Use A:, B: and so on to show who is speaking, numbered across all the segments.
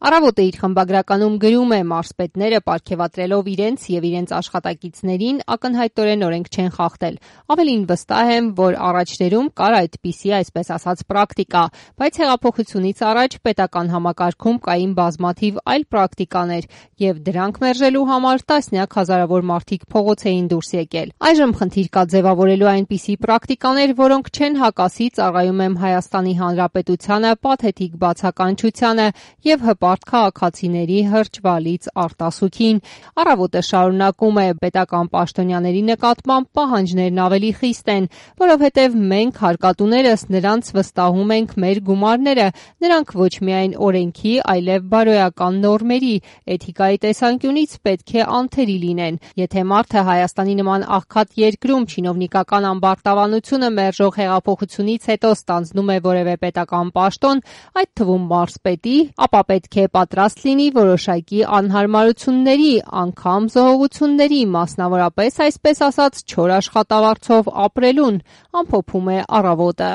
A: Առավոտը իր խմբագրականում գրում է՝ մարզպետները պարգևատրելով իրենց եւ իրենց աշխատակիցներին ակնհայտորեն օրենք չեն խախտել։ Ավելին վստահ եմ, որ առաջներում կար այդպիսի այսպես ասած պրակտիկա, բայց հեղափոխությունից առաջ պետական համակարգում կային բազմաթիվ այլ պրակտիկաներ եւ դրանք մերժելու համար տասնյակ հազարավոր մարդիկ փողոց էին դուրս եկել։ Այժմ խնդիր կա ձևավորելու այնպիսի պրակտիկաներ, որոնք չեն հակասի, ծառայում եմ Հայաստանի Հանրապետությանը, պաթետիկ բացականչությանը եւ հպարտ քաղաքացիների հրճվալից արտասուքին։ Առավոտը շարունակում է՝ պետական պաշտոնյաների նկատմամբ պահանջներն ավելի խիստ են, որովհետև մենք հարկատուներս նրանց վստահում ենք մեր գումարները, նրանք ոչ միայն օրենքի, այլև բարոյական նորմերի, էթիկայի տեսանկյունից պետք է անթերի լինեն։ Եթե մարդը Հայաստանի նման աղքատ երկրում չինովնիկական ամբարտավանությունը մերժող հեղափոխությունից հետո ստանձնում է որևէ պետական պաշտոն, այդ թվում մարզպետի, ապա պետք է պատրաստ լինի որոշակի անհարմարությունների, անգամ զոհողությունների, մասնավորապես այսպես ասած չոր աշխատավարձով ապրելուն, ամփոփում է Առավոտը։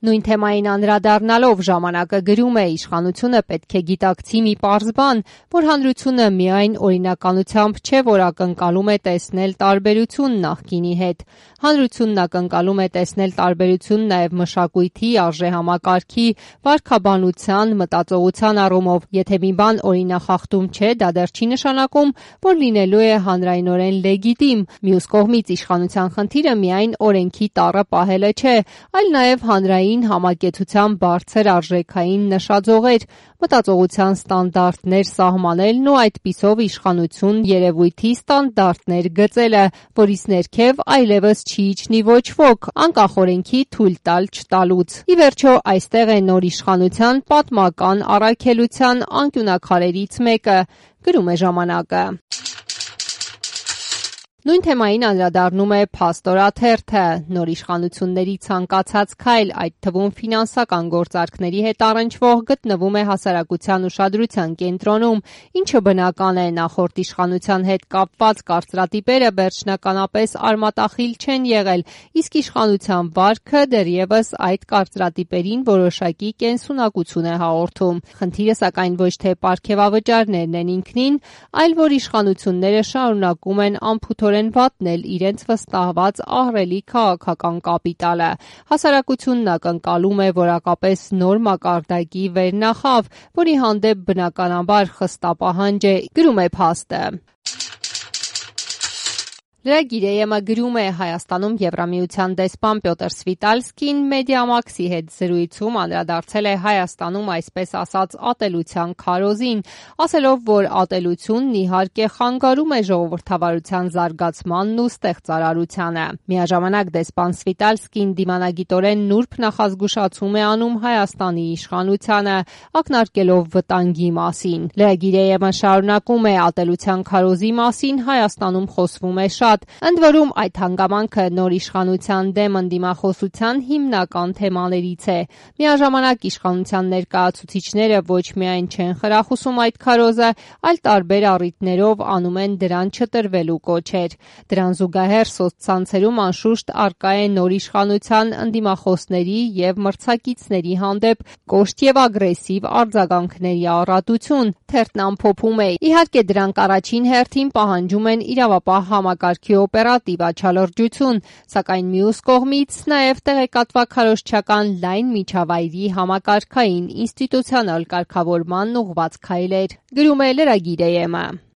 A: Նույն թեմային անդրադառնալով ժամանակը գրում է՝ իշխանությունը պետք է գիտակցի մի պարզ բան, որ հանրությունը միայն օրինականությամբ չէ, որ ակնկալում է տեսնել տարբերություն նախկինի հետ։ Հանրությունն ակնկալում է տեսնել տարբերություն նաև մշակույթի, արժեհամակարգի, վարքաբանության, մտածողության առումով։ Եթե մի բան օրինախախտում չէ, դա դեռ չի նշանակում, որ լինելու է հանրայնորեն լեգիտիմ։ Մյուս կողմից իշխանության խնդիրը միայն օրենքի տառը պահելը չէ, այլ նաև հանրային համակեցության բարձր արժեքային նշաձողեր, մտածողության ստանդարտներ սահմանելն ու այդպիսով իշխանություն երևույթի ստանդարտներ գծելը, որից ներքև այլևս չի իջնի ոչ ոք, անկախ օրենքի թույլ տալ չտալուց։ Ի վերջո, այստեղ է նոր իշխանության պատմական առաքելության անկյունաքարերից մեկը, գրում է Ժամանակը։ Նույն թեմային անդրադառնում է Փաստոր թերթը։ Նոր իշխանությունների ցանկացած քայլ, այդ թվում ֆինանսական գործարքների հետ առնչվող, գտնվում է հասարակության ուշադրության կենտրոնում, ինչը բնական է։ Նախորդ իշխանության հետ կապված կարծրատիպերը վերջնականապես արմատախիլ չեն եղել, իսկ իշխանության վարքը դեռևս այդ կարծրատիպերին որոշակի կենսունակություն է հաղորդում։ Խնդիրը սակայն ոչ թե պարգևավճարներն են ինքնին, այլ որ իշխանությունները շարունակում են անփութորեն վատնել իրենց վստահված ահռելի քաղաքական կապիտալը։ Հասարակությունն ակնկալում է որակապես նոր մակարդակի վերնախավ, որի հանդեպ բնականաբար խստապահանջ է, գրում է Փաստը։ Լրագիր գրում է՝ Հայաստանում Եվրամիության դեսպան Պյոտր Սվիտալսկին Մեդիամաքսի հետ զրույցում անդրադարձել է Հայաստանում այսպես ասած ատելության քարոզին, ասելով, որ ատելությունն իհարկե խանգարում է ժողովրդավարության զարգացմանն ու ստեղծարարությանը։ Միաժամանակ դեսպան Սվիտալսկին դիմանագիտորեն նուրբ նախազգուշացում է անում Հայաստանի իշխանությանը, ակնարկելով վտանգի մասին։ Լրագիր շարունակում է՝ ատելության քարոզի մասին Հայաստանում խոսվում է շատ։ Ընդ որում, այդ հանգամանքը նոր իշխանության դեմ ընդդիմախոսության հիմնական թեմաներից է։ Միաժամանակ իշխանության ներկայացուցիչները ոչ միայն չեն խրախուսում այդ քարոզը, այլ տարբեր առիթներով անում են դրան չտրվելու կոչեր։ Դրան զուգահեռ սոցցանցերում անշուշտ առկա է նոր իշխանության ընդդիմախոսների եւ մրցակիցների հանդեպ կոշտ եւ ագրեսիվ արձագանքների առատություն։ Թերթն ամփոփում է. իհարկե դրանք առաջին հերթին պահանջում են իրավապահ համակարգի օպերատիվ աչալրջություն, սակայն մյուս կողմից նաև տեղեկատվաքարոզչական լայն միջավայրի համակարգային ինստիտուցիոնալ կարգավորման ուղղված քայլեր, գրում է լրագիր ԵՄ։